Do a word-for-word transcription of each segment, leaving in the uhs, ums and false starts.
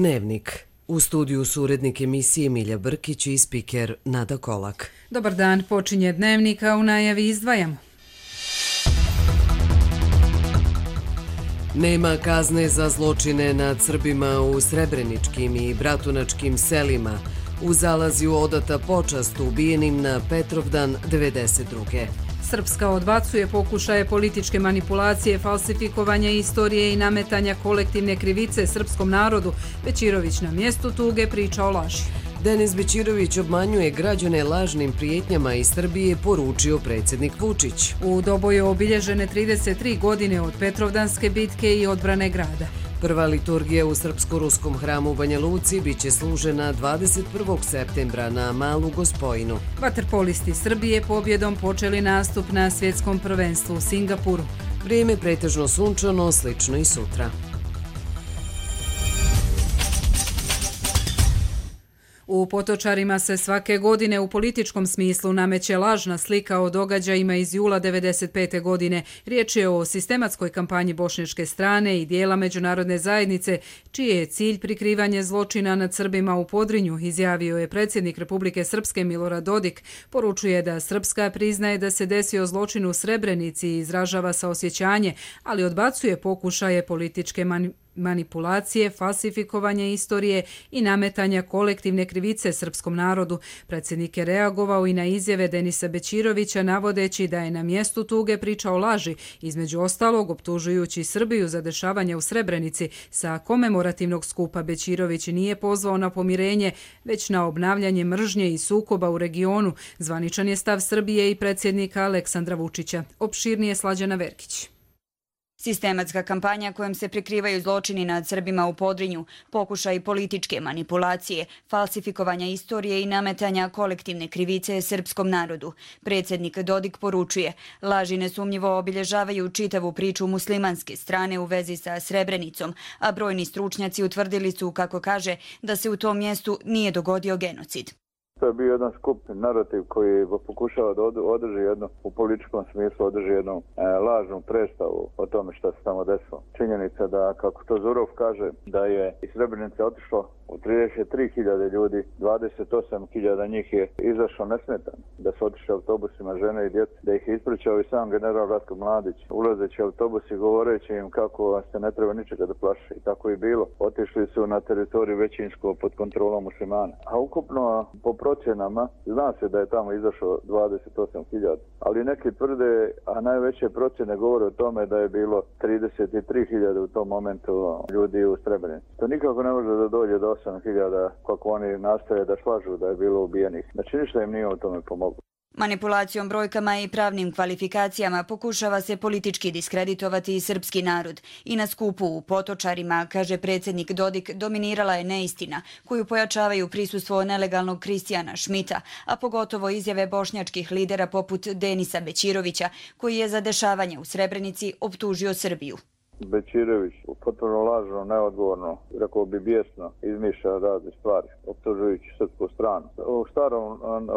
Dnevnik. U studiju su urednik emisije Milja Brkić i spiker Nada Kolak. Dobar dan, počinje Dnevnik, a u najavi izdvajamo. Nema kazne za zločine nad Srbima u srebreničkim i bratunačkim selima. U Zalaziju odata počast ubijenim na Petrovdan devedeset druge. Srpska odbacuje pokušaje političke manipulacije, falsifikovanja istorije i nametanja kolektivne krivice srpskom narodu. Bećirović na mjestu tuge priča o laži. Denis Bećirović obmanjuje građane lažnim prijetnjama iz Srbije, poručio predsjednik Vučić. U Doboju obilježene trideset tri godine od Petrovdanske bitke i odbrane grada. Prva liturgija u srpsko-ruskom hramu u Banja Luci biće služena dvadeset prvog septembra na Malu Gospojinu. Vaterpolisti Srbije pobjedom počeli nastup na svjetskom prvenstvu u Singapuru. Vrijeme pretežno sunčano, slično i sutra. U Potočarima se svake godine u političkom smislu nameće lažna slika o događajima iz jula devedeset pete godine. Riječ je o sistematskoj kampanji bošnjačke strane i dijela međunarodne zajednice, čiji je cilj prikrivanje zločina nad Srbima u Podrinju, izjavio je predsjednik Republike Srpske Milorad Dodik. Poručuje da Srpska priznaje da se desio zločin u Srebrenici i izražava saosjećanje, ali odbacuje pokušaje političke manipulacije. manipulacije, falsifikovanje istorije i nametanja kolektivne krivice srpskom narodu. Predsjednik je reagovao i na izjave Denisa Bećirovića, navodeći da je na mjestu tuge pričao laži, između ostalog optužujući Srbiju za dešavanje u Srebrenici. Sa komemorativnog skupa Bećirović nije pozvao na pomirenje, već na obnavljanje mržnje i sukoba u regionu. Zvaničan je stav Srbije i predsjednika Aleksandra Vučića. Opširnije Slađana Verkić. Sistematska kampanja kojom se prikrivaju zločini nad Srbima u Podrinju, pokušaj političke manipulacije, falsifikovanja istorije i nametanja kolektivne krivice srpskom narodu. Predsjednik Dodik poručuje, laži nesumnjivo obilježavaju čitavu priču muslimanske strane u vezi sa Srebrenicom, a brojni stručnjaci utvrdili su, kako kaže, da se u tom mjestu nije dogodio genocid. To je bio jedan skup narativ koji pokušava da održi jednu, u političkom smislu održi jednu e, lažnu predstavu o tome što se tamo desilo. Činjenica da, kako to Zurov kaže, da je iz Srebrenice otišlo u trideset tri hiljade ljudi, dvadeset osam hiljada njih je izašlo nesmetano, da su otišli autobusima žene i djece, da ih je ispričao i sam general Ratko Mladić, ulazeći autobus i govoreći im kako se ne treba ničega da plaše. I tako i bilo. Otišli su na teritoriju većinsko pod kontrolom muslimana. A ukupno po procjenama zna se da je tamo izašlo dvadeset osam hiljada, ali neki tvrde, a najveće procjene govore o tome da je bilo trideset tri hiljade u tom momentu ljudi u Srebrenici. To nikako ne može da dođe do osam hiljada kako oni nastoje da slažu da je bilo ubijenih. Znači ništa im nije u tome pomoglo. Manipulacijom brojkama i pravnim kvalifikacijama pokušava se politički diskreditovati i srpski narod. I na skupu u Potočarima, kaže predsjednik Dodik, dominirala je neistina koju pojačavaju prisustvo nelegalnog Kristijana Šmita, a pogotovo izjave bošnjačkih lidera poput Denisa Bećirovića, koji je za dešavanje u Srebrenici optužio Srbiju. Bećirović potpuno lažno, neodgovorno, rekao bi bijesno, izmišlja razne stvari, optužujući srpsku stranu. U starom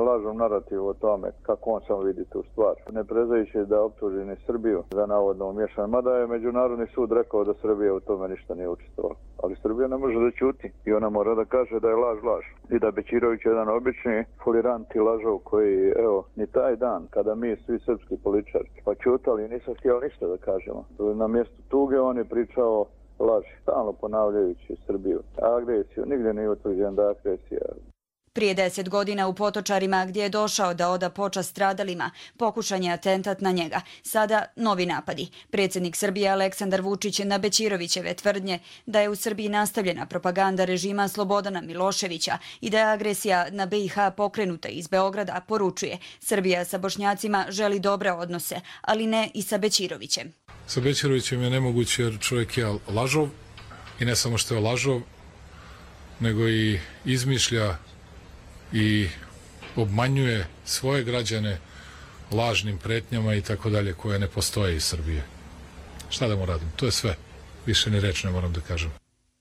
lažnom narativu o tome kako on samo vidi tu stvar, ne prezajući da optuži ni Srbiju za navodno umješanje, mada je Međunarodni sud rekao da Srbija u tome ništa nije učestvovala. Ali Srbija ne može da ćuti i ona mora da kaže da je laž laž. I da Bećirović je jedan obični folirant i lažov koji, evo, ni taj dan kada mi svi srpski političari pa ćutali, nisam htjel ništa da kažemo. Na mjestu tuge on je pričao laži, stalno ponavljajući Srbiju. Agresiju, nigdje nije utvrđen da je agresija. Prije deset godina u Potočarima, gdje je došao da oda počast stradalima, pokušan je atentat na njega. Sada novi napadi. Predsjednik Srbije Aleksandar Vučić na Bećirovićeve tvrdnje da je u Srbiji nastavljena propaganda režima Slobodana Miloševića i da je agresija na B i H pokrenuta iz Beograda, poručuje. Srbija sa Bošnjacima želi dobre odnose, ali ne i sa Bećirovićem. Sa Bećirovićem je nemoguće jer čovjek je lažov i ne samo što je lažov, nego i izmišlja i obmanjuje svoje građane lažnim pretnjama i tako dalje koje ne postoje iz Srbije. Šta da mu radim? To je sve. Više ni reč ne moram da kažem.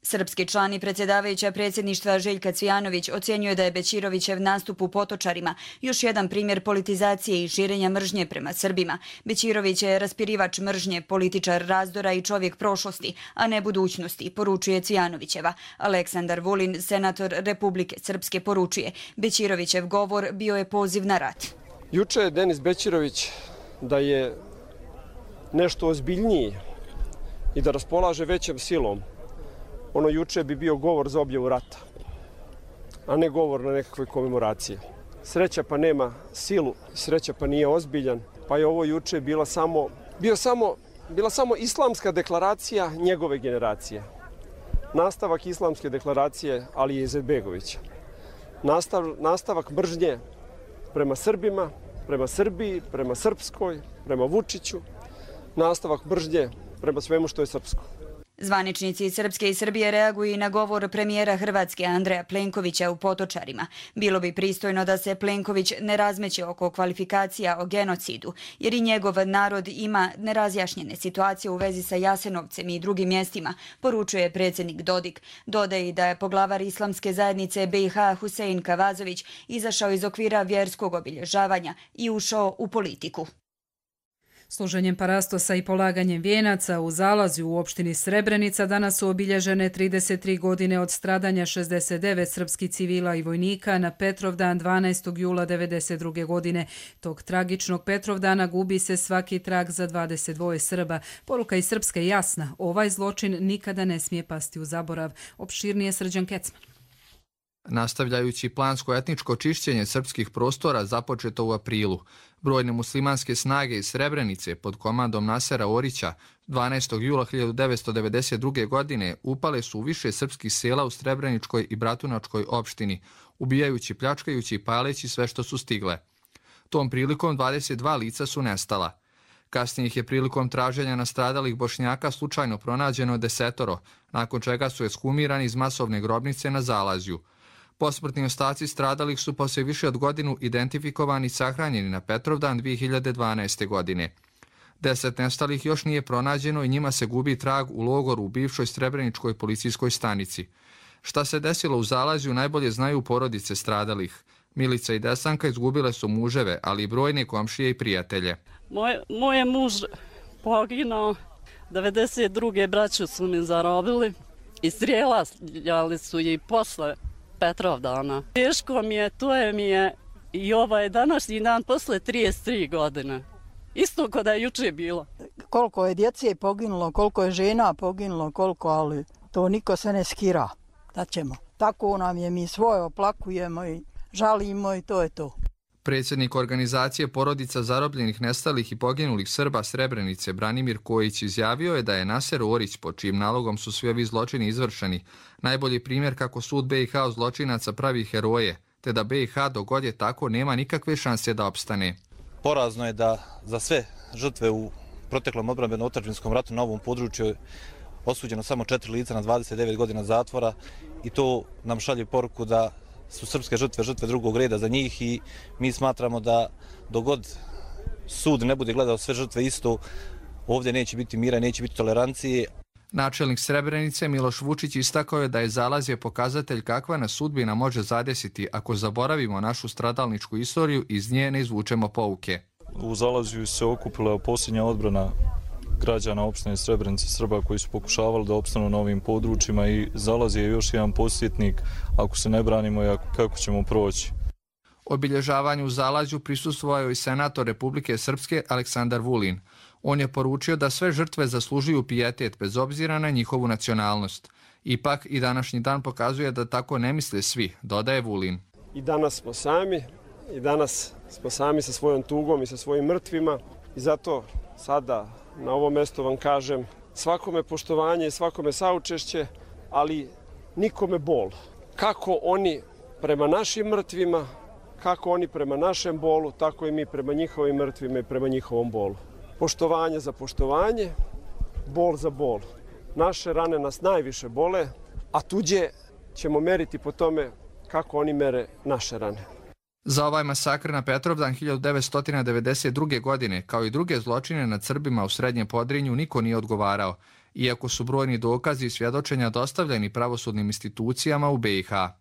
Srpski član i predsjedavajuća predsjedništva Željka Cvijanović ocjenjuje da je Bećirovićev nastup u Potočarima još jedan primjer politizacije i širenja mržnje prema Srbima. Bećirović je raspirivač mržnje, političar razdora i čovjek prošlosti, a ne budućnosti, poručuje Cvijanovićeva. Aleksandar Vulin, senator Republike Srpske, poručuje: Bećirovićev govor bio je poziv na rat. Juče je Denis Bećirović da je nešto ozbiljniji i da raspolaže većom silom, ono juče bi bio govor za objavu rata, a ne govor na nekakve komemoracije. Sreća pa nema silu, sreća pa nije ozbiljan, pa je ovo juče bila samo, bio samo, bila samo islamska deklaracija njegove generacije. Nastavak islamske deklaracije Alije Izetbegovića. Nastav, nastavak mržnje prema Srbima, prema Srbiji, prema Srpskoj, prema Vučiću. Nastavak mržnje prema svemu što je srpsko. Zvaničnici Srpske i Srbije reaguju i na govor premijera Hrvatske Andreja Plenkovića u Potočarima. Bilo bi pristojno da se Plenković ne razmeće oko kvalifikacija o genocidu, jer i njegov narod ima nerazjašnjene situacije u vezi sa Jasenovcem i drugim mjestima, poručuje predsjednik Dodik. Dodaje i da je poglavar islamske zajednice B i H Husein Kavazović izašao iz okvira vjerskog obilježavanja i ušao u politiku. Služenjem parastosa i polaganjem vijenaca u Zalazju u opštini Srebrenica danas su obilježene trideset tri godine od stradanja šezdeset devet srpskih civila i vojnika na Petrovdan dvanaestog jula devedeset druge godine. Tog tragičnog Petrovdana gubi se svaki trag za dvadeset dva Srba. Poruka iz Srpske je jasna: ovaj zločin nikada ne smije pasti u zaborav. Opširnije Srđan Kecman. Nastavljajući plansko-etničko čišćenje srpskih prostora započeto u aprilu, brojne muslimanske snage iz Srebrenice pod komandom Nasera Orića dvanaestog jula hiljadu devetsto devedeset druge. godine upale su u više srpskih sela u Srebreničkoj i Bratunačkoj opštini, ubijajući, pljačkajući i paleći sve što su stigle. Tom prilikom dvadeset dva lica su nestala. Kasnije ih je prilikom traženja nastradalih Bošnjaka slučajno pronađeno desetoro, nakon čega su ekshumirani iz masovne grobnice na Zalazju. Posmrtni ostaci stradalih su poslije više od godinu identifikovani i sahranjeni na Petrovdan dvije hiljade dvanaeste. godine. Deset nestalih još nije pronađeno i njima se gubi trag u logoru u bivšoj Srebreničkoj policijskoj stanici. Šta se desilo u Zalazju najbolje znaju porodice stradalih. Milica i Desanka izgubile su muževe, ali i brojne komšije i prijatelje. Moj, moj je muž poginuo, devedeset druge braću su mi zarobili i strijeljali su i posle Petrovdana. Teško mi je, to je mi je i ovaj današnji dan posle trideset tri godine. Isto kao da je juče bilo. Koliko je djece poginulo, koliko je žena poginulo, koliko, ali to niko se ne skira. Da ćemo. Tako nam je, mi svoje oplakujemo i žalimo i to je to. Predsjednik organizacije porodica zarobljenih, nestalih i poginulih Srba Srebrenice Branimir Kojić izjavio je da je Naser Orić, po čijim nalogom su svi ovi zločini izvršeni, najbolji primjer kako sud B i H od zločinaca pravi heroje, te da B i H dok god je tako nema nikakve šanse da opstane. Porazno je da za sve žrtve u proteklom odbrambeno-otadžbinskom ratu na ovom području je osuđeno samo četiri lica na dvadeset devet godina zatvora i to nam šalje poruku da su srpske žrtve žrtve drugog reda za njih i mi smatramo da dogod sud ne bude gledao sve žrtve isto, ovdje neće biti mira, neće biti tolerancije. Načelnik Srebrenice Miloš Vučić istakao je da je Zalazje pokazatelj kakva nas sudbina može zadesiti ako zaboravimo našu stradalničku istoriju i iz nje ne izvučemo pouke. U Zalazju se okupila posljednja odbrana građana opštine Srebrenice, Srba koji su pokušavali da opstanu na ovim područjima i Zalazje je još jedan podsjetnik ako se ne branimo i kako ćemo proći. Obilježavanju u Zalazju prisustvovao i senator Republike Srpske Aleksandar Vulin. On je poručio da sve žrtve zaslužuju pijetet bez obzira na njihovu nacionalnost. Ipak i današnji dan pokazuje da tako ne misle svi, dodaje Vulin. I danas smo sami, i danas smo sami sa svojom tugom i sa svojim mrtvima i zato sada na ovom mjestu vam kažem svakome poštovanje i svakome saučešće, ali nikome bol. Kako oni prema našim mrtvima, kako oni prema našem bolu, tako i mi prema njihovim mrtvima i prema njihovom bolu. Poštovanje za poštovanje, bol za bol. Naše rane nas najviše bole, a tuđe ćemo meriti po tome kako oni mere naše rane. Za ovaj masakr na Petrovdan hiljadu devetsto devedeset druge. godine, kao i druge zločine nad Srbima u Srednjem Podrinju, niko nije odgovarao. iako su brojni dokazi i svjedočenja dostavljeni pravosudnim institucijama u B i H.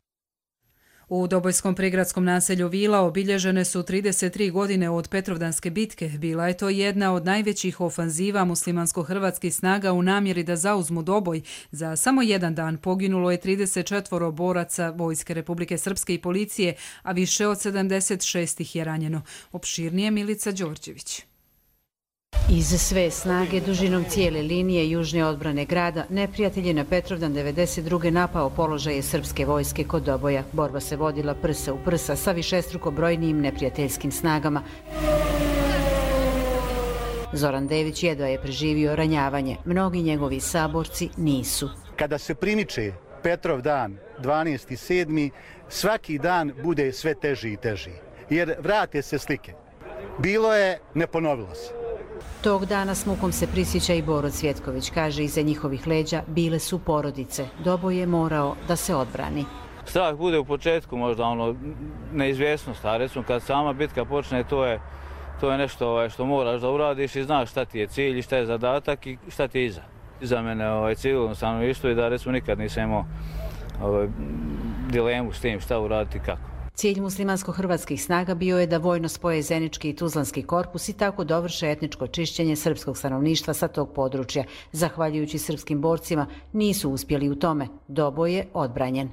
U Dobojskom prigradskom naselju Vila obilježene su trideset tri godine od Petrovdanske bitke. Bila je to jedna od najvećih ofanziva muslimansko-hrvatskih snaga u namjeri da zauzmu Doboj. Za samo jedan dan poginulo je trideset četvoro boraca Vojske Republike Srpske i policije, a više od sedamdeset šest ih je ranjeno. Opširnije Milica Đorđević. Iz sve snage dužinom cijele linije južne odbrane grada, neprijatelj je na Petrovdan devedeset druge napao položaje srpske vojske kod Doboja. Borba se vodila prsa u prsa sa višestruko brojnijim neprijateljskim snagama. Zoran Dević jedva je preživio ranjavanje. Mnogi njegovi saborci nisu. Kada se primiče Petrov dan, dvanaesti sedmi, svaki dan bude sve teži i teži. Jer vrate se slike. Bilo je, ne ponovilo se. Tog dana s mukom se prisjeća i Boro Cvjetković. Kaže, iza njihovih leđa bile su porodice. Doboj je morao da se odbrani. Strah bude u početku možda ono neizvjesnost, a recimo kad sama bitka počne, to je, to je nešto ovaj, što moraš da uradiš i znaš šta ti je cilj i šta je zadatak i šta ti je iza. Iza mene ovaj, civilno stanovništvo i da recimo nikad nisam imao ovaj, dilemu s tim šta uraditi i kako. Cilj muslimansko-hrvatskih snaga bio je da vojno spoje Zenički i Tuzlanski korpus i tako dovrše etničko čišćenje srpskog stanovništva sa tog područja. Zahvaljujući srpskim borcima nisu uspjeli u tome. Doboj je odbranjen.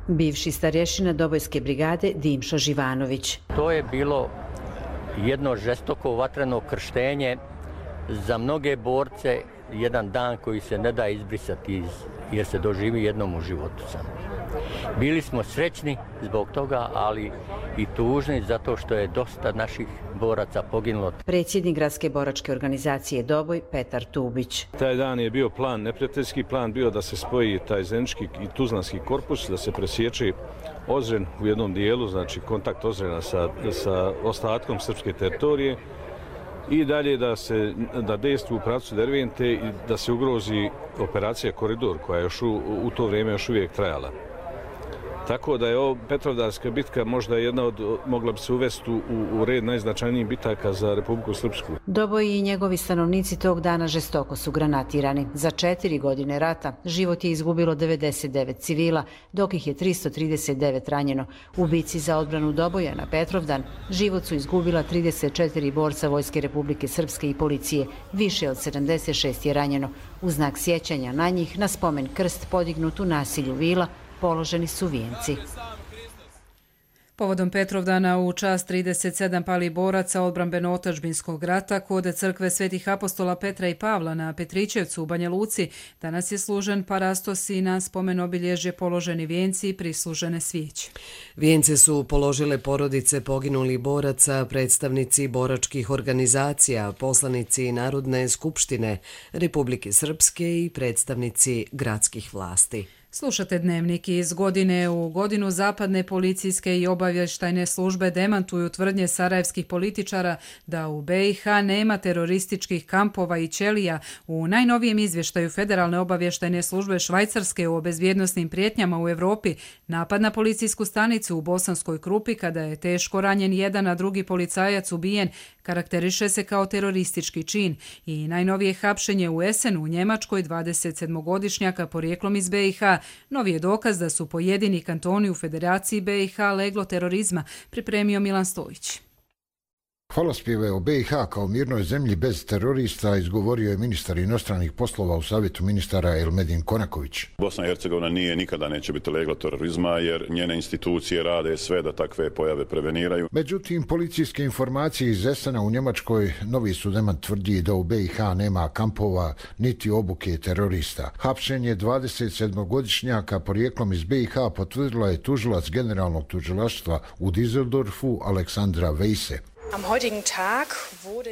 Bivši starješina Dobojske brigade Dimšo Živanović. To je bilo jedno žestoko vatreno krštenje za mnoge borce, jedan dan koji se ne da izbrisati iz, jer se doživi jednom u životu samo. Bili smo srećni zbog toga, ali i tužni zato što je dosta naših boraca poginulo. Predsjednik gradske boračke organizacije Doboj, Petar Tubić. Taj dan je bio plan, neprijateljski plan bio da se spoji taj Zenički i Tuzlanski korpus, da se presječe Ozren u jednom dijelu, znači kontakt Ozrena sa, sa ostatkom srpske teritorije i dalje da se da dejstvu u pravcu Dervente i da se ugrozi operacija Koridor koja je još u, u to vrijeme još uvijek trajala. Tako da je ovo Petrovdanska bitka možda jedna od, mogla bi se uvesti u, u red najznačajnijih bitaka za Republiku Srpsku. Doboj i njegovi stanovnici tog dana žestoko su granatirani. Za četiri godine rata život je izgubilo devedeset devet civila, dok ih je tristo trideset devet ranjeno. U bici za odbranu Doboja na Petrovdan život su izgubila trideset četiri borca Vojske Republike Srpske i policije. Više od sedamdeset šest je ranjeno. U znak sjećanja na njih, na spomen krst podignut u naselju Vila, položeni su vijenci. Povodom Petrovdana u čast trideset sedam palih boraca odbrambeno-otadžbinskog rata kod crkve Svetih apostola Petra i Pavla na Petrićevcu u Banja Luci danas je služen parastos i na spomen obilježje položeni vijenci i prislužene svijeće. Vijence su položile porodice poginulih boraca, predstavnici boračkih organizacija, poslanici Narodne skupštine Republike Srpske i predstavnici gradskih vlasti. Slušate Dnevnik. Iz godine u godinu zapadne policijske i obavještajne službe demantuju tvrdnje sarajevskih političara da u B i H nema terorističkih kampova i ćelija. U najnovijem izvještaju Federalne obavještajne službe Švajcarske o bezbjednosnim prijetnjama u Evropi napad na policijsku stanicu u Bosanskoj Krupi kada je teško ranjen jedan, a drugi policajac ubijen karakteriše se kao teroristički čin. I najnovije hapšenje u Esenu u Njemačkoj dvadesetsedmogodišnjaka porijeklom iz B i H novi je dokaz da su pojedini kantoni u Federaciji B i H leglo terorizma, pripremio Milan Stojić. Hvalospjeve o B i H kao mirnoj zemlji bez terorista izgovorio je ministar inostranih poslova u savjetu ministara Elmedin Konaković. Bosna i Hercegovina nije nikada neće biti leglo terorizma jer njene institucije rade sve da takve pojave preveniraju. Međutim, policijske informacije iz Esena u Njemačkoj novi su demant tvrdi da u B i H nema kampova niti obuke terorista. Hapšenje dvadesetsedmogodišnjaka porijeklom iz B i H potvrdila je tužilac generalnog tužilaštva u Düsseldorfu Aleksandra Vejse.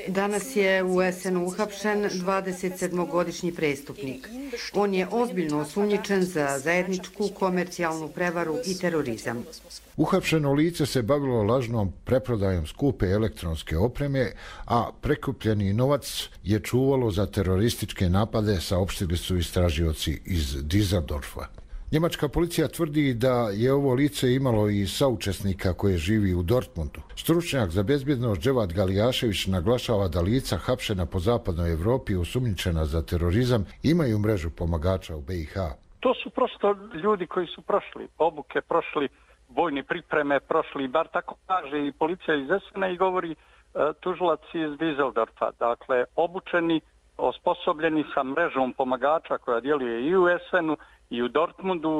Danas je u Esenu uhapšen dvadesetsedmogodišnji prestupnik. On je ozbiljno osumnjičen za zajedničku komercijalnu prevaru i terorizam. Uhapšeno lice se bavilo lažnom preprodajom skupe elektronske opreme, a prekupljeni novac je čuvalo za terorističke napade, saopštili su istražioci iz Düsseldorfa. Njemačka policija tvrdi da je ovo lice imalo i saučesnika koje živi u Dortmundu. Stručnjak za bezbjednost Dževad Galijašević naglašava da lica hapšena po zapadnoj Evropi osumnjičena za terorizam imaju mrežu pomagača u B i H. To su prosto ljudi koji su prošli obuke, prošli vojne pripreme, prošli, bar tako kaže i policija iz Essena i govori uh, tužilac iz Düsseldorfa. Dakle, obučeni, osposobljeni sa mrežom pomagača koja djeluje i u Essenu i u Dortmundu,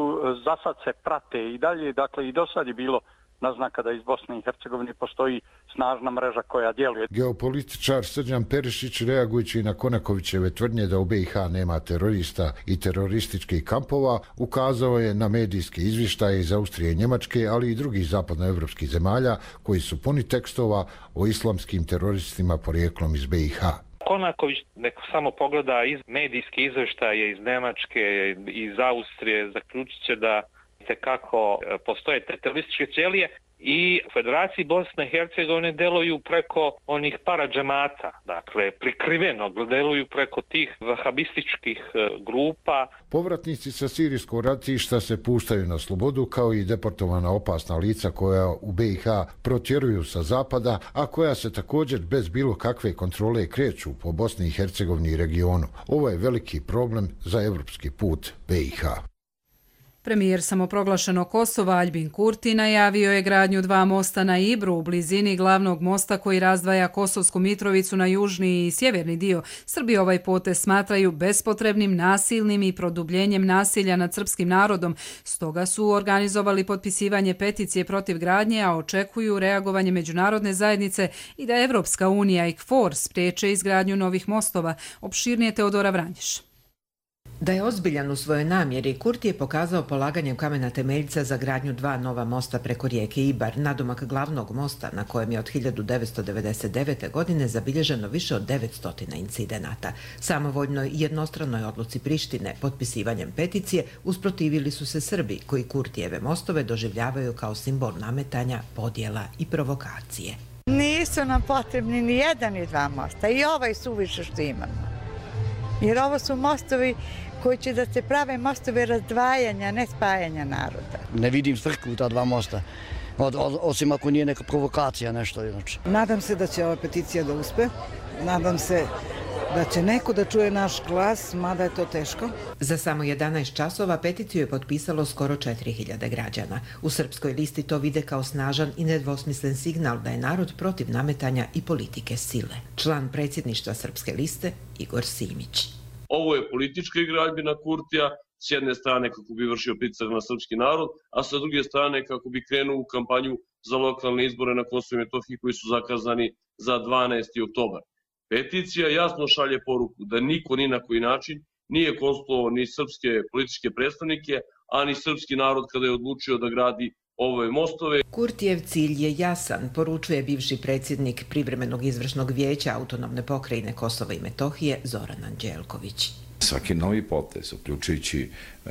za sad se prate i dalje, dakle i do sad je bilo naznaka da iz Bosne i Hercegovine postoji snažna mreža koja djeluje. Geopolitičar Srđan Perišić, reagujući na Konakovićeve tvrdnje da u B i H nema terorista i terorističkih kampova, ukazao je na medijske izvještaje iz Austrije i Njemačke, ali i drugih zapadnoevropskih zemalja koji su puni tekstova o islamskim teroristima porijeklom iz B i H. Konaković neko samo pogleda iz medijske izvještaje iz Njemačke, iz Austrije, zaključit će da kako postoje terorističke ćelije i u Federaciji Bosne i Hercegovine deluju preko onih paradžemata, dakle prikriveno deluju preko tih vahabističkih grupa. Povratnici sa sirijskog ratišta se puštaju na slobodu kao i deportovana opasna lica koja u B i H protjeruju sa zapada, a koja se također bez bilo kakve kontrole kreću po Bosni i Hercegovini i regionu. Ovo je veliki problem za evropski put B i H. Premijer samoproglašenog Kosova Aljbin Kurti najavio je gradnju dva mosta na Ibru u blizini glavnog mosta koji razdvaja Kosovsku Mitrovicu na južni i sjeverni dio. Srbi ovaj potez smatraju bespotrebnim, nasilnim i produbljenjem nasilja nad srpskim narodom. Stoga su organizovali potpisivanje peticije protiv gradnje, a očekuju reagovanje međunarodne zajednice i da Evropska unija i K F O R spriječe izgradnju novih mostova. Opširnije Teodora Vranješ. Da je ozbiljan u svojoj namjeri, Kurti je pokazao polaganjem kamena temeljca za gradnju dva nova mosta preko rijeke Ibar, nadomak glavnog mosta na kojem je od hiljadu devetsto devedeset devete. godine zabilježeno više od devetsto incidenata. Samovoljnoj jednostranoj odluci Prištine potpisivanjem peticije usprotivili su se Srbi, koji Kurtijeve mostove doživljavaju kao simbol nametanja, podjela i provokacije. Nisu nam potrebni ni jedan ni dva mosta i ovaj suviše što imamo. Jer ovo su mostovi koji će da se prave mostove razdvajanja, ne spajanja naroda. Ne vidim svrhu u ta dva mosta, od, od, osim ako nije neka provokacija, nešto inače. Nadam se da će ova peticija da uspe, nadam se da će neko da čuje naš glas, mada je to teško. Za samo jedanaest časova peticiju je potpisalo skoro četiri hiljade građana. U srpskoj listi to vide kao snažan i nedvosmislen signal da je narod protiv nametanja i politike sile. Član predsjedništva srpske liste Igor Simić. Ovo je politička igraljbina Kurtija, s jedne strane kako bi vršio pritisak na srpski narod, a sa druge strane kako bi krenuo u kampanju za lokalne izbore na Kosovu i Metohiji koji su zakazani za dvanaesti oktobar. Peticija jasno šalje poruku da niko ni na koji način nije konsultovao ni srpske političke predstavnike, a ni srpski narod kada je odlučio da gradi ove mostove. Kurtijev cilj je jasan, poručuje bivši predsjednik privremenog izvršnog vijeća autonomne pokrajine Kosova i Metohije Zoran Anđelković. Svaki novi potez, uključujući e,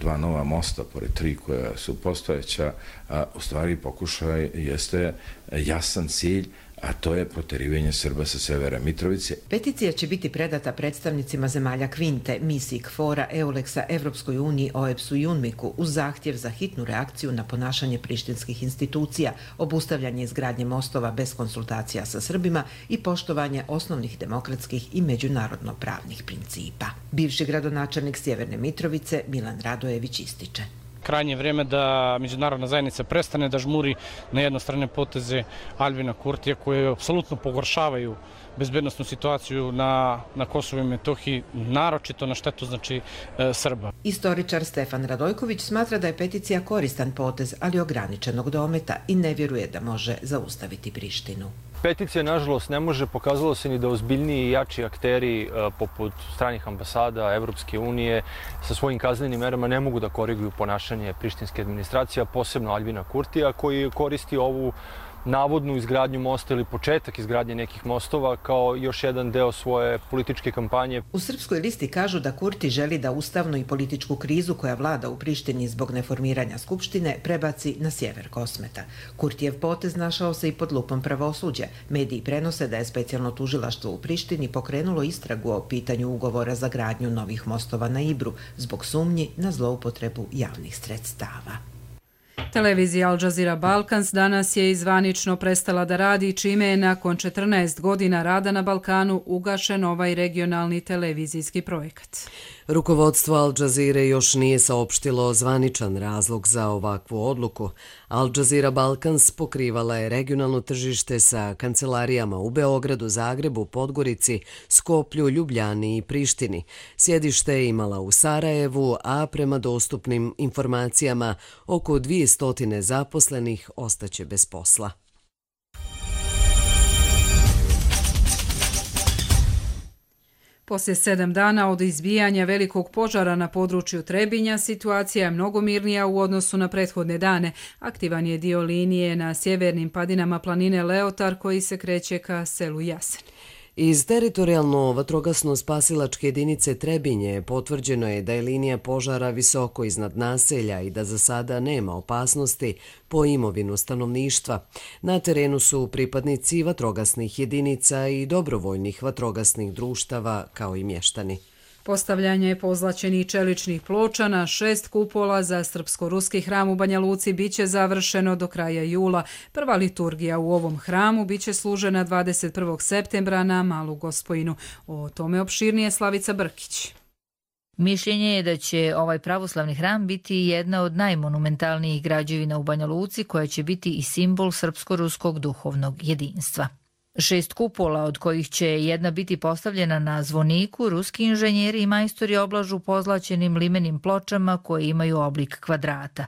dva nova mosta pored tri koja su postojeća, a, u stvari pokušaj jeste jasan cilj, a to je proterivanje Srba sa severa Mitrovice. Peticija će biti predata predstavnicima zemalja Kvinte, misiji K F O R-a, Euleksa, Evropskoj uniji, O E B S-u i UNMIK-u uz zahtjev za hitnu reakciju na ponašanje prištinskih institucija, obustavljanje izgradnje mostova bez konsultacija sa Srbima i poštovanje osnovnih demokratskih i međunarodno pravnih principa. Bivši gradonačelnik Sjeverne Mitrovice Milan Radojević ističe. Krajnje vrijeme da međunarodna zajednica prestane da žmuri na jednostrane poteze Aljbina Kurtija koje apsolutno pogoršavaju bezbednosnu situaciju na, na Kosovu i Metohiji, naročito na štetu znači e, Srba. Istoričar Stefan Radojković smatra da je peticija koristan potez, ali ograničenog dometa i ne vjeruje da može zaustaviti Prištinu. Peticija, nažalost, ne može, pokazalo se ni da ozbiljniji i jači akteri poput stranih ambasada, Evropske unije, sa svojim kaznenim merama ne mogu da koriguju ponašanje prištinske administracije, posebno Aljbina Kurtija, koji koristi ovu navodnu izgradnju mosta ili početak izgradnje nekih mostova kao još jedan deo svoje političke kampanje. U Srpskoj listi kažu da Kurti želi da ustavnu i političku krizu koja vlada u Prištini zbog neformiranja skupštine prebaci na sjever Kosmeta. Kurtijev potez našao se i pod lupom pravosuđa. Mediji prenose da je specijalno tužilaštvo u Prištini pokrenulo istragu o pitanju ugovora za gradnju novih mostova na Ibru zbog sumnji na zloupotrebu javnih sredstava. Televizija Al Jazeera Balkans danas je zvanično prestala da radi, čime je nakon četrnaest godina rada na Balkanu ugašen ovaj regionalni televizijski projekat. Rukovodstvo Al Jazeere još nije saopštilo zvaničan razlog za ovakvu odluku. Al Jazeera Balkans pokrivala je regionalno tržište sa kancelarijama u Beogradu, Zagrebu, Podgorici, Skoplju, Ljubljani i Prištini. Sjedište je imala u Sarajevu, a prema dostupnim informacijama oko dvjesto zaposlenih ostaće bez posla. Poslije sedam dana od izbijanja velikog požara na području Trebinja, situacija je mnogo mirnija u odnosu na prethodne dane. Aktivan je dio linije na sjevernim padinama planine Leotar koji se kreće ka selu Jasen. Iz teritorijalno vatrogasno-spasilačke jedinice Trebinje potvrđeno je da je linija požara visoko iznad naselja i da za sada nema opasnosti po imovinu stanovništva. Na terenu su pripadnici vatrogasnih jedinica i dobrovoljnih vatrogasnih društava kao i mještani. Postavljanje pozlaćenih čeličnih ploča na šest kupola za srpsko-ruski hram u Banja Luci biće završeno do kraja jula. Prva liturgija u ovom hramu biće služena dvadeset prvog septembra na Malu Gospojinu. O tome opširnije Slavica Brkić. Mišljenje je da će ovaj pravoslavni hram biti jedna od najmonumentalnijih građevina u Banja Luci koja će biti i simbol srpsko-ruskog duhovnog jedinstva. Šest kupola, od kojih će jedna biti postavljena na zvoniku, ruski inženjeri i majstori oblažu pozlaćenim limenim pločama koje imaju oblik kvadrata.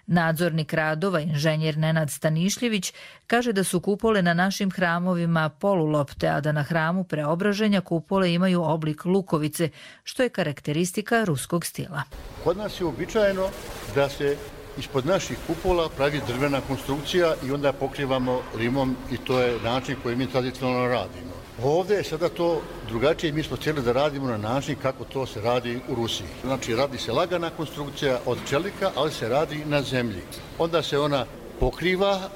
Nadzornik radova, inženjer Nenad Stanišljević, kaže da su kupole na našim hramovima polulopte, a da na hramu Preobraženja kupole imaju oblik lukovice, što je karakteristika ruskog stila. Kod nas je uobičajeno da se ispod naših kupola pravi drvena konstrukcija i onda pokrivamo limom i to je način koji mi tradicionalno radimo. Ovdje je sada to drugačije, mi smo htjeli da radimo na način kako to se radi u Rusiji. Znači radi se lagana konstrukcija od čelika, ali se radi na zemlji. Onda se ona pokriva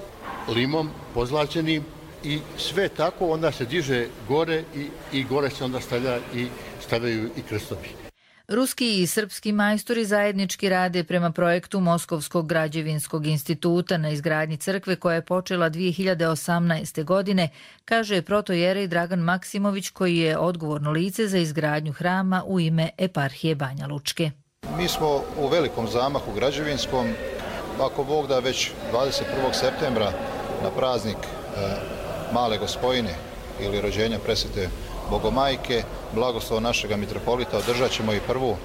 limom pozlaćenim i sve tako onda se diže gore i, i gore se onda stavlja i stavljaju i krstovi. Ruski i srpski majstori zajednički rade prema projektu Moskovskog građevinskog instituta na izgradnji crkve koja je počela dvije hiljade osamnaeste. godine, kaže protojerej Dragan Maksimović koji je odgovorno lice za izgradnju hrama u ime eparhije Banja Lučke. Mi smo u velikom zamahu građevinskom, ako Bog da već dvadeset prvog septembra na praznik Male Gospojine ili rođenja presvete Bogomajke, blagoslov našega mitropolita, održat ćemo i prvu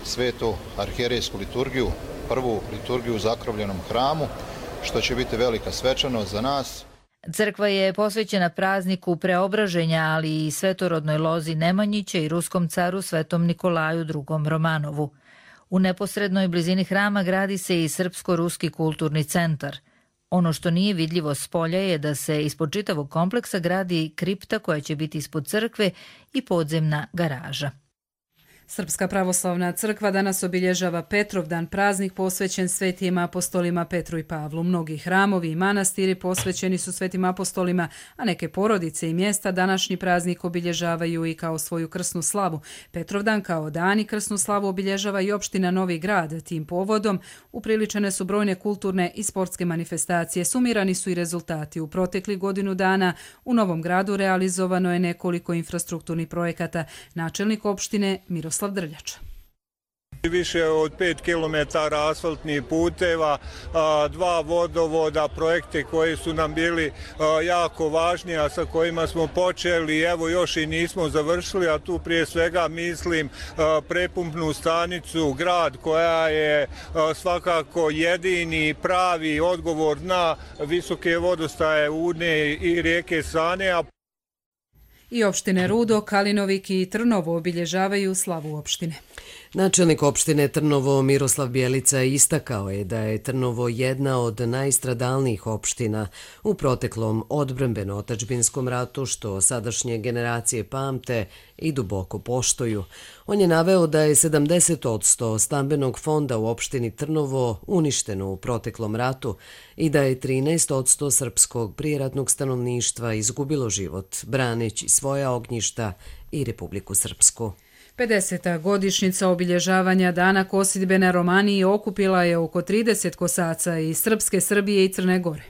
svetu arhijerejsku liturgiju, prvu liturgiju u zakrovljenom hramu, što će biti velika svečanost za nas. Crkva je posvećena prazniku Preobraženja, ali i svetorodnoj lozi Nemanjića i ruskom caru Svetom Nikolaju drugom. Romanovu. U neposrednoj blizini hrama gradi se i Srpsko-ruski kulturni centar. Ono što nije vidljivo s polja je da se ispod čitavog kompleksa gradi kripta koja će biti ispod crkve i podzemna garaža. Srpska pravoslavna crkva danas obilježava Petrovdan, praznik posvećen svetim apostolima Petru i Pavlu. Mnogi hramovi i manastiri posvećeni su svetim apostolima, a neke porodice i mjesta današnji praznik obilježavaju i kao svoju krsnu slavu. Petrovdan kao dan i krsnu slavu obilježava i opština Novi Grad. Tim povodom upriličene su brojne kulturne i sportske manifestacije. Sumirani su i rezultati. U proteklih godinu dana u Novom Gradu realizovano je nekoliko infrastrukturnih projekata. Načelnik opštine Miroslav Drljača. Više od pet kilometara asfaltnih puteva, dva vodovoda, projekte koji su nam bili jako važni, a sa kojima smo počeli, evo još i nismo završili, a tu prije svega mislim prepumpnu stanicu Grad koja je svakako jedini pravi odgovor na visoke vodostaje Une i rijeke Sane. I opštine Rudo, Kalinovik i Trnovo obilježavaju slavu opštine. Načelnik opštine Trnovo Miroslav Bjelica istakao je da je Trnovo jedna od najstradalnijih opština u proteklom odbrambeno-otadžbinskom ratu, što sadašnje generacije pamte i duboko poštuju. On je naveo da je sedamdeset posto stambenog fonda u opštini Trnovo uništeno u proteklom ratu i da je trinaest posto srpskog prijeratnog stanovništva izgubilo život, braneći svoja ognjišta i Republiku Srpsku. pedeseta godišnjica obilježavanja Dana kosidbe na Romaniji okupila je oko trideset kosaca iz Srpske, Srbije i Crne Gore.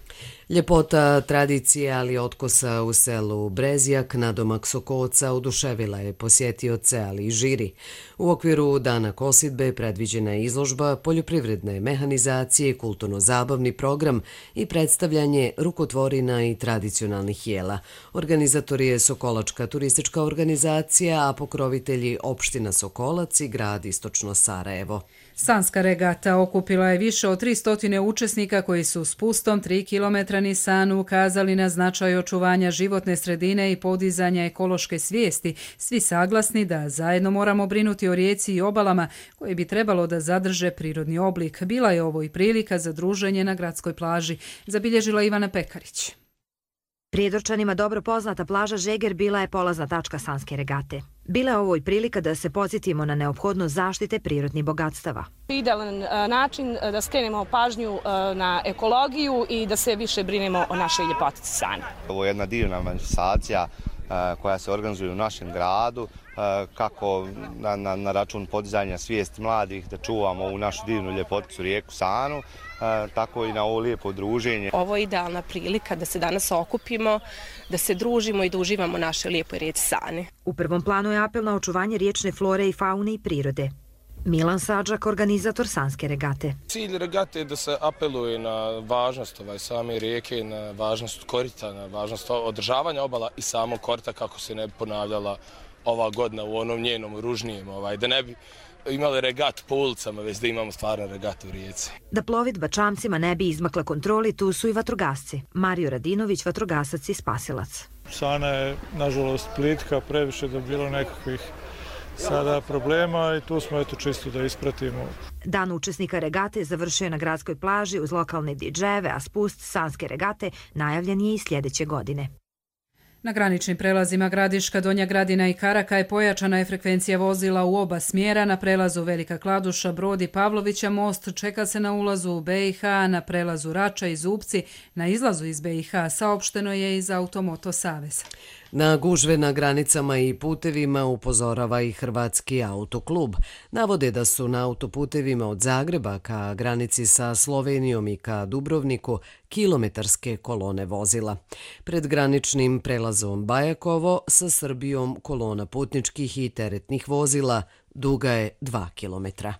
Ljepota tradicije, ali otkosa u selu Brezjak, nadomak Sokoca, oduševila je posjetioce, ali i žiri. U okviru Dana kosidbe predviđena je izložba poljoprivredne mehanizacije, kulturno-zabavni program i predstavljanje rukotvorina i tradicionalnih jela. Organizator je Sokolačka turistička organizacija, a pokrovitelji opština Sokolac i grad Istočno Sarajevo. Sanska regata okupila je više od tristo učesnika koji su s pustom tri kilometra Nisanu ukazali na značaj očuvanja životne sredine i podizanja ekološke svijesti, svi saglasni da zajedno moramo brinuti o rijeci i obalama koje bi trebalo da zadrže prirodni oblik. Bila je ovo i prilika za druženje na gradskoj plaži, zabilježila Ivana Pekarić. Prijedorčanima dobro poznata plaža Žeger bila je polazna tačka Sanske regate. Bila je ovo i prilika da se podsjetimo na neophodnost zaštite prirodnih bogatstava. Idealan način da skrenemo pažnju na ekologiju i da se više brinemo o našoj ljepotici Sane. Ovo je jedna divna manifestacija koja se organizuje u našem gradu, kako na, na, na račun podizanja svijesti mladih da čuvamo ovu našu divnu ljepoticu rijeku Sanu, tako i na ovo lijepo druženje. Ovo je idealna prilika da se danas okupimo, da se družimo i da uživamo naše lijepoj rijeci Sane. U prvom planu je apel na očuvanje riječne flore i faune i prirode. Milan Sadžak, organizator Sanske regate. Cilj regate je da se apeluje na važnost ovaj, same rijeke, na važnost korita, na važnost održavanja obala i samog korita kako se ne bi ponavljala ova godina u onom njenom ružnijem, ovaj, da ne bi imali regat po ulicama, već da imamo stvarno regat u rijeci. Da plovidba čamcima ne bi izmakla kontroli, tu su i vatrogasci. Mario Radinović, vatrogasac i spasilac. Sana je, nažalost, plitka, previše da bilo nekakvih sada problema i tu smo eto čisto da ispratimo. Dan učesnika regate završio je na gradskoj plaži uz lokalne didžejeve, a spust Sanske regate najavljen je i sljedeće godine. Na graničnim prelazima Gradiška, Donja Gradina i Karakaj pojačana je frekvencija vozila u oba smjera. Na prelazu Velika Kladuša, Brod i Pavlovića most čeka se na ulazu u be i ha, na prelazu Rača i Zupci, na izlazu iz be i ha saopšteno je iz Automoto Saveza. Na gužve na granicama i putevima upozorava i Hrvatski autoklub. Navode da su na autoputevima od Zagreba ka granici sa Slovenijom i ka Dubrovniku kilometarske kolone vozila. Pred graničnim prelazom Bajakovo sa Srbijom kolona putničkih i teretnih vozila duga je dva kilometra.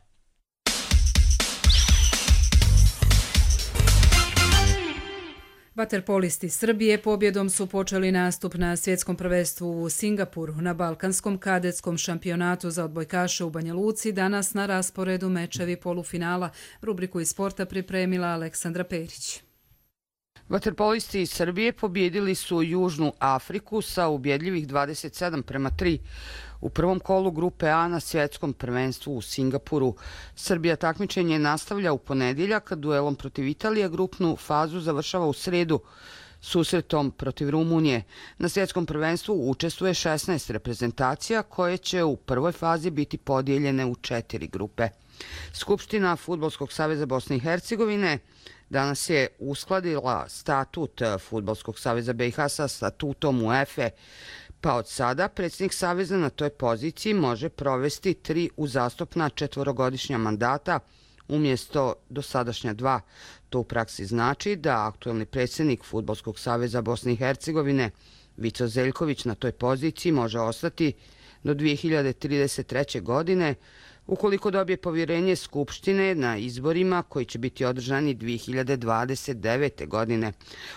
Vaterpolisti Srbije pobjedom su počeli nastup na svjetskom prvenstvu u Singapuru. Na balkanskom kadetskom šampionatu za odbojkaše u Banja Luci danas na rasporedu mečevi polufinala. Rubriku iz sporta pripremila Aleksandra Perić. Vaterpolisti iz Srbije pobjedili su Južnu Afriku sa ubjedljivih dvadeset sedam prema tri u prvom kolu grupe A na svjetskom prvenstvu u Singapuru. Srbija takmičenje nastavlja u ponedjeljak, duelom protiv Italije, grupnu fazu završava u sredu susretom protiv Rumunije. Na svjetskom prvenstvu učestvuje šesnaest reprezentacija koje će u prvoj fazi biti podijeljene u četiri grupe. Skupština Fudbalskog saveza Bosne i Hercegovine danas je uskladila statut Fudbalskog saveza be i ha sa statutom UEFA, pa od sada predsjednik saveza na toj poziciji može provesti tri uzastopna četvorogodišnja mandata umjesto dosadašnja dva. To u praksi znači da aktuelni predsjednik Fudbalskog saveza Bosne i Hercegovine Vico Zeljković na toj poziciji može ostati do dvije hiljade trideset treće. godine, ukoliko dobije povjerenje Skupštine na izborima koji će biti održani dvije hiljade dvadeset devete. godine.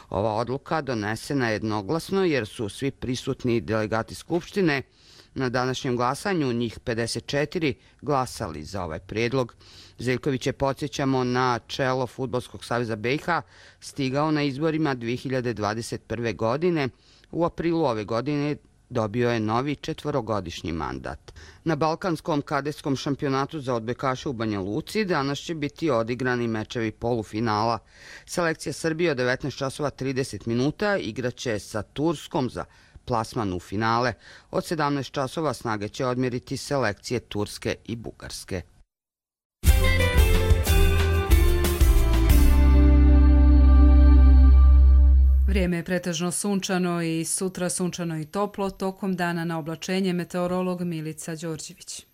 Ova odluka donesena je jednoglasno jer su svi prisutni delegati Skupštine na današnjem glasanju, njih pedeset četiri, glasali za ovaj prijedlog. Zeljković je, podsjećamo, na čelo Fudbalskog saveza be i ha stigao na izborima dvije hiljade dvadeset prve. godine. U aprilu ove godine dobio je novi četvorogodišnji mandat. Na Balkanskom kadetskom šampionatu za odbojkaše u Banja Luci danas će biti odigrani mečevi polufinala. Selekcija Srbije od devetnaest časova trideset minuta igraće sa Turskom za plasman u finale. Od sedamnaest časova snage će odmjeriti selekcije Turske i Bugarske. Vrijeme je pretežno sunčano i sutra sunčano i toplo, tokom dana na oblačenje meteorolog Milica Đorđević.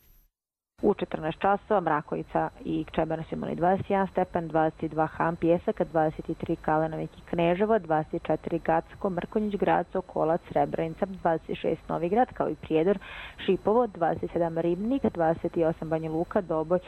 U četrnaest časova Mrakovica i Čebanak su imali dvadeset jedan stepen, dvadeset dva Han, Pjesak, dvadeset tri Kalenovik i Kneževo, dvadeset četiri Gacko, Mrkonjić, Graco, Kolac, Srebrenica, dvadeset šest Novigrad, kao i Prijedor, Šipovo, dvadeset sedam Ribnik, dvadeset osam Banja Luka, Doboj,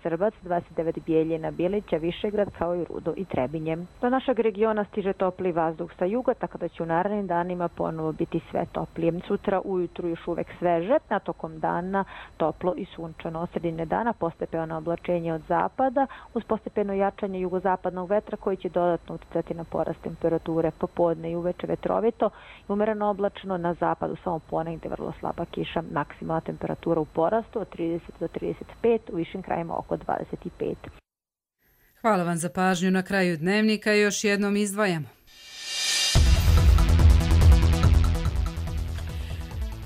Srbac, dvadeset devet Bijeljina, Bilića, Višegrad, kao i Rudo i Trebinje. Do našeg regiona stiže topli vazduh sa juga, tako da će u narednim danima ponovo biti sve toplije. Sutra ujutru još uvek sveže, a tokom dana toplo i sunčano. Od sredine dana postepeno oblačenje od zapada uz postepeno jačanje jugozapadnog vetra koji će dodatno uticati na porast temperature. Popodne i uveče vetrovito i umereno oblačno, na zapadu samo ponegde vrlo slaba kiša. Maksimalna temperatura u porastu od trideset do trideset pet, u višim krajima oko dvadeset pet. Hvala vam za pažnju. Na kraju dnevnika još jednom izdvajamo.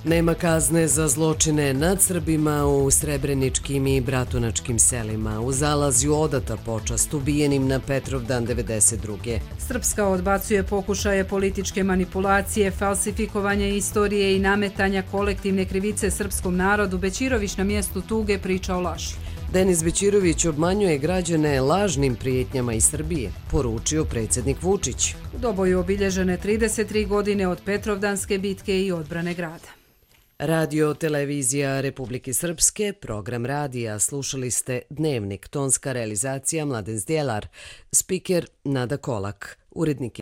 Nema kazne za zločine nad Srbima u srebreničkim i bratunačkim selima. U Zalazju odata počast ubijenim na Petrovdan devedeset druge. Srpska odbacuje pokušaje političke manipulacije, falsifikovanja istorije i nametanja kolektivne krivice srpskom narodu. Bećirović na mjestu tuge priča o laži. Denis Bećirović obmanjuje građane lažnim prijetnjama iz Srbije, poručio predsjednik Vučić. U Doboju obilježene trideset tri godine od Petrovdanske bitke i odbrane grada. Radio Televizija Republike Srpske, program radija, slušali ste Dnevnik, tonska realizacija Mladen Zdjelar, spiker Nada Kolak, urednik